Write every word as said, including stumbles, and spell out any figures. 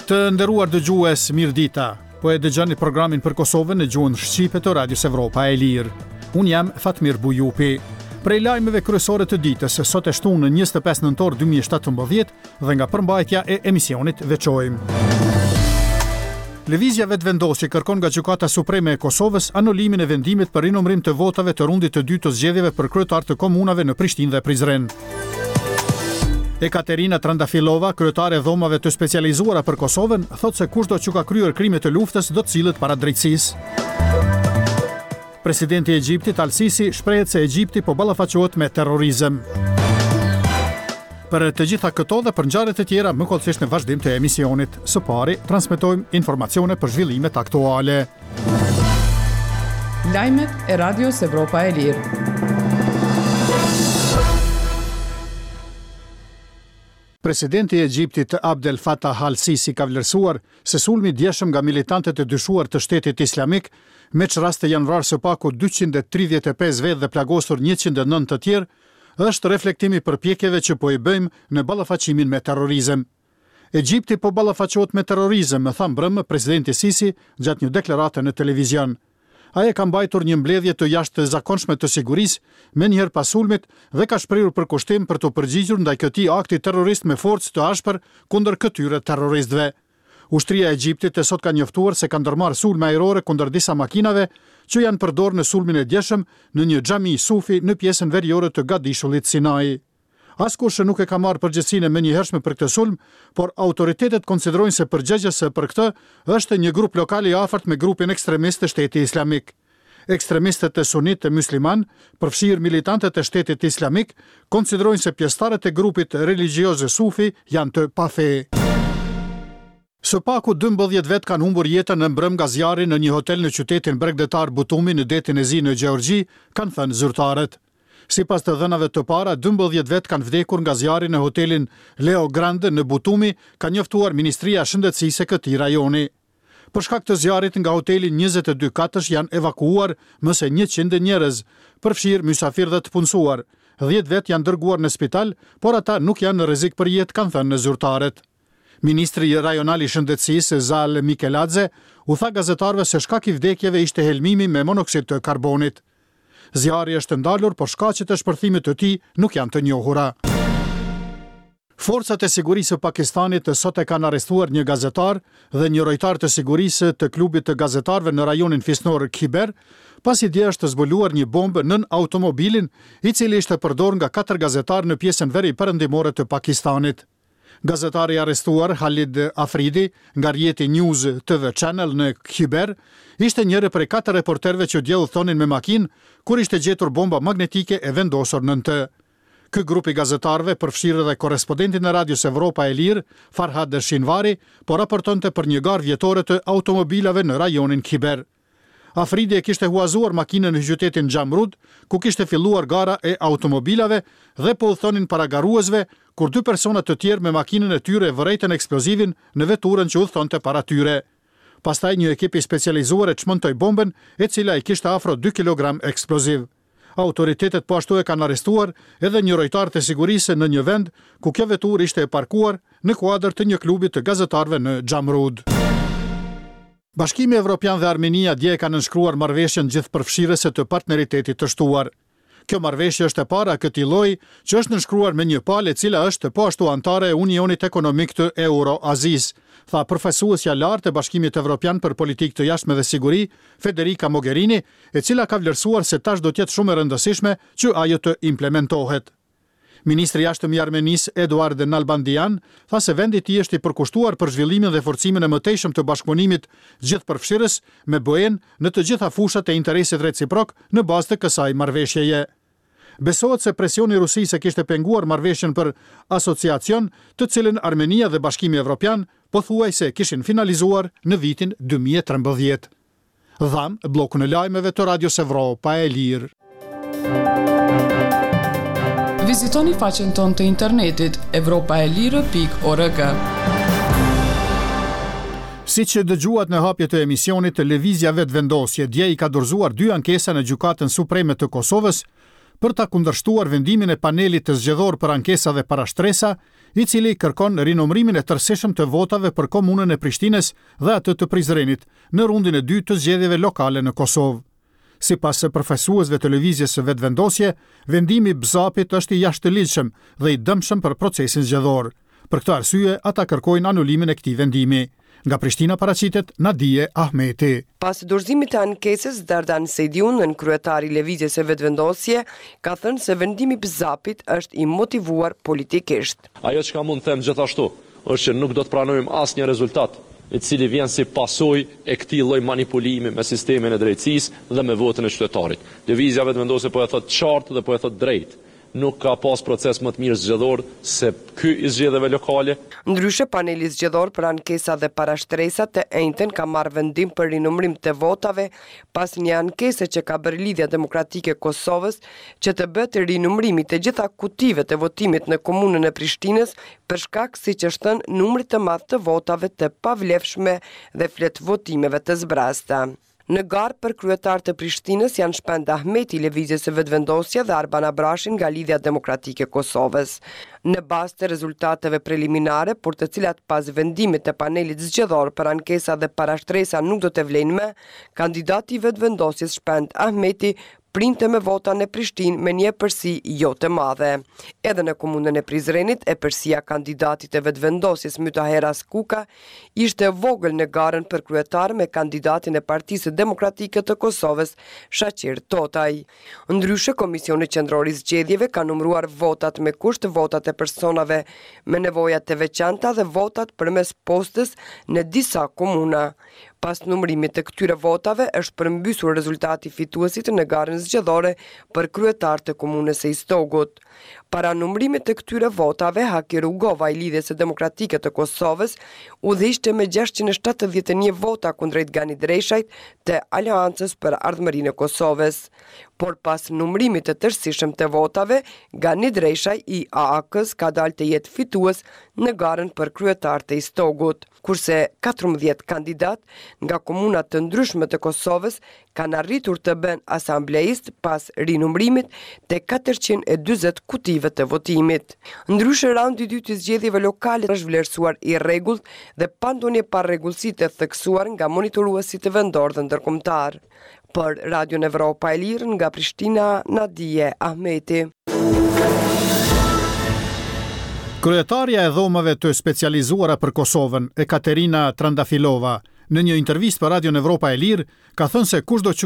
Të nderuar dëgjues, mirëdita. Po e dëgjoni programin për Kosovën në gjuhën shqipe të Radios Evropa e Lirë. Unë jam Fatmir Bujupi. Prej lajmeve kryesore të ditës, sot e shtunë në njëzet e pesë nëntor dy mijë e shtatëmbëdhjetë dhe nga përmbajtja e emisionit veçojmë: Lëvizja Vetëvendosje kërkon nga Gjykata Supreme e Kosovës anulimin e vendimit për rinumërim të votave të rundit të dytë të zgjedhjeve për kryetar të komunave në Prishtinë dhe Prizren. Ekaterina Trandafilova, kryetare e dhomave të specializuara për Kosovën, thotë se kushdo që ka kryer krime të luftës do të sillet para drejtësisë. Presidenti i Egjiptit Al-Sisi shprehet se Egjipti po ballafaqohet me terrorizëm. Për të gjitha këto dhe për ngjarjet e tjera më hollësisht në vazhdim të emisionit. Së pari, transmetojmë informacione për zhvillimet aktuale. Lajmet e Radios Evropa e Lirë. Presidenti i Egjiptit Abdel Fattah al-Sisi ka vlerësuar se sulmi i djeshëm nga militantët e dyshuar të Shtetit Islamik, me ç'rast janë vrarë së paku dyqind e tridhjetë e pesë vetë dhe plagosur njëqind e nëntë të tjerë, është reflektim i përpjekjeve që po i bëjmë në ballafaqimin me terrorizëm. Egjipti po ballafaqohet me terrorizëm, më tha mbrëmë presidenti Sisi gjatë një deklarate në televizion. Ai e ka mbajtur një mbledhje të jashtëzakonshme të sigurisë menjëherë pas sulmit dhe ka shprehur përkushtim për të përgjigjur ndaj këtij akti terrorist me forcë të ashpër kundër këtyre terroristëve. Ushtria e Egjiptit të sot ka njoftuar se ka ndërmarrë sulme ajrore kundër disa makinave që janë përdorur në sulmin e djeshëm në një xhami sufi në pjesën veriore të gadishullit Sinai. Askush nuk e ka marrë përgjegjësinë e menjëhershme për këtë sulm, por autoritetet konsiderojnë se përgjegjës për këtë është një grup lokal i afërt me grupin ekstremist të Shtetit Islamik. Ekstremistët e sunit të musliman, përfshirë militantët e Shtetit Islamik, konsiderojnë se pjesëtarët e grupit religjioz sufi janë të pafe. Së paku dymbëdhjetë vet kanë humbur jetën në mbrëm nga zjarri në një hotel në qytetin bregdetar Butumi në Detin e Zi në Gjeorgji, kanë thënë zyrtarët. Sipas të dhënave të para, dymbëdhjetë vet kanë vdekur nga zjarri në hotelin Leo Grande në Butumi, ka njoftuar Ministria e Shëndetësisë e këtij rajoni. Për shkak të zjarrit nga hoteli njëzet e dy katësh janë evakuuar më se njëqind njerëz, përfshirë mysafirë dhe të punësuar. dhjetë vet janë dërguar në spital, por ata nuk janë në rrezik për jetë, kanë thënë zyrtarët. Ministri rajonal i Shëndetësisë, Zal Mikeladze, u tha gazetarëve se shkak i vdekjeve ishte helmimi me monoksid të karbonit. Zjarri është ndalur, por shkaqet e shpërthimit të tij nuk janë të njohura. Forcat e sigurisë së Pakistanit sot e kanë arrestuar një gazetar dhe një rojtar të sigurisë të klubit të gazetarëve në rajonin fisnor Khyber, pasi dje është zbuluar një bombë nën automobilin, i cili ishte përdorur nga katër gazetarë në pjesën veri perëndimore të Pakistanit. Gazetari i arrestuar Halid Afridi nga rrjeti News T V Channel në Khyber ishte njëri prej katër reporterëve që dje udhtonin me makinë kur ishte gjetur bomba magnetike e vendosur nën të. Ky grup i gazetarëve, përfshirë edhe korrespondentin e Radios Evropa e Lirë, Farhad Shinvari, po raportonte për një garë vjetore të automobilave në rajonin Khyber. Afridi e kishte huazuar makinën në qytetin Jamrud, ku kishte filluar gara e automobilave dhe po udhtonin para garuesve, kur dy persona të tjerë me makinën e tyre vërejtën eksplozivin në veturën që udhtonte para tyre. Pastaj një ekip i specializuar e çmontoi bombën, e cila i kishte afro dy kilogram eksploziv. Autoritetet po ashtu e kanë arrestuar edhe një rojtar të sigurisë në një vend ku kjo veturë ishte e parkuar në kuadër të një klubi të gazetarëve në Jamrud. Bashkimi Evropian dhe Armenia dje e kanë nënshkruar marrëveshjen gjithëpërfshirëse të partneritetit të shtuar. Kjo marrëveshje është e para e këtij lloji që është nënshkruar me një palë e cila është po ashtu anëtare e Unionit Ekonomik të Euro-Azisë, tha përfaqësuesja e lartë e Bashkimit Evropian për politikë të jashtme dhe siguri, Federica Mogherini, e cila ka vlerësuar se tash do të jetë shumë e rëndësishme që ajo të implementohet. Ministri i Jashtëm i Armenisë, Eduard Nalbandian, tha se vendi i tij është i përkushtuar për zhvillimin dhe forcimin e mëtejshëm të bashkëpunimit gjithëpërfshirës me B E-n në të gjitha fushat e interesit reciprok në bazë të kësaj marrëveshjeje. Besohet se presioni i Rusisë e kishte penguar marrëveshjen për asociacion, të cilën Armenia dhe Bashkimi Evropian pothuajse kishin finalizuar në vitin dy mijë e trembëdhjetë. Dham bllokun e lajmeve të Radios Evropa e Lirë. Vizitoni faqen tonë të internetit evropaelire pikë org. Si që dëgjuat në hapje të emisionit, të Lëvizja Vetëvendosje dje i ka dorëzuar dy ankesa në Gjykatën Supreme të Kosovës për ta kundërshtuar vendimin e panelit të zgjedhor për ankesa dhe parashtresa, i cili kërkon rinumërimin e tërësishëm të votave për komunën e Prishtinës dhe atë të Prizrenit në rundin e dytë të zgjedhjeve lokale në Kosovë. Sipas përfaqësuesve të lëvizjes së Vetëvendosje, vendimi i B Z A P-it është i jashtëligjshëm dhe i dëmshëm për procesin zgjedhor. Për këtë arsye, ata kërkojnë anulimin e këtij vendimi. Nga Prishtina paraqitet Nadie Ahmeti. Pas dorëzimit të ankesës, Dardan Sejdiu, nënkryetari i Lëvizjes së Vetëvendosje, ka thënë se vendimi i B Z A P-it është i motivuar politikisht. Ajo që ka mund të them gjithashtu është që nuk do të pranojmë asnjë rezultat i cili vjen si pasojë e këtij lloj manipulimi me sistemin e drejtësisë dhe me votën e qytetarit. Lëvizja Vetëvendosje po e thot qartë dhe po e thot drejt. Nuk ka pas proces më të mirë zgjedhor se ky i zgjedhjeve lokale. Ndryshe, paneli zgjedhor për ankesa dhe parashtresa të enjten ka marrë vendim për rinumërim të votave pas një ankese që ka bërë Lidhja Demokratike e Kosovës që të bëhet rinumërimi të gjitha kutive të votimit në komunën e Prishtinës për shkak, siç është thënë, numrit të madh të votave të pavlefshme dhe fletëvotimeve të zbrazta. Në garë për kryetar të Prishtinës janë Shpend Ahmeti i Lëvizjes së Vetëvendosje dhe Arban Abrashi nga Lidhja Demokratike e Kosovës. Në bazë të rezultateve preliminare, por të cilat pas vendimit të panelit zgjedhor për ankesa dhe parashtresa nuk do të vlejnë më, kandidati i Vetëvendosjes Shpend Ahmeti printe me vota në Prishtinë me një epërsi jo të madhe. Edhe në komunën e Prizrenit, epërsia kandidatit e Vetëvendosjes Mytaher Haskuka ishte e vogël në garën për kryetar me kandidatin e Partisë Demokratike të Kosovës, Shaqir Totaj. Ndryshe, Komisioni Qendror i Zgjedhjeve ka numëruar votat me kusht, votat e personave me nevoja të veçanta dhe votat përmes postës në disa komuna. Pas numërimit të këtyre votave është përmbysur rezultati fituesit në garën zgjedhore për kryetar të komunës së Istogut. Para numërimit të këtyre votave, Haki Rugova i Lidhjes së Demokratike të Kosovës udhëhiqte me gjashtëqind e shtatëdhjetë e një vota kundrejt Gani Dreshajt të Aleancës për Ardhmërinë e Kosovës. Por pas numërimit të tërësishëm të votave, Gani Dreshaj i A A K-s ka dalë të jetë fitues në garën për kryetar të Istogut, kurse katërmbëdhjetë kandidat nga komunat të ndryshme të Kosovës kanë arritur të bëhen asambleist pas rinumërimit të katërqind e dyzet kutive të votimit. Ndryshe, raundi i dytë i zgjedhjeve lokale është vlerësuar i rregullt dhe pa ndonjë parregullsi të theksuar nga monitoruesit vendor dhe ndërkombëtar. Për Radion Evropa e Lirë nga Prishtina, Nadie Ahmeti. Kryetarja e dhomave të specializuara për Kosovën, Ekaterina Trandafilova, në një intervistë për Radion Evropa e Lirë, ka thënë se kushdo që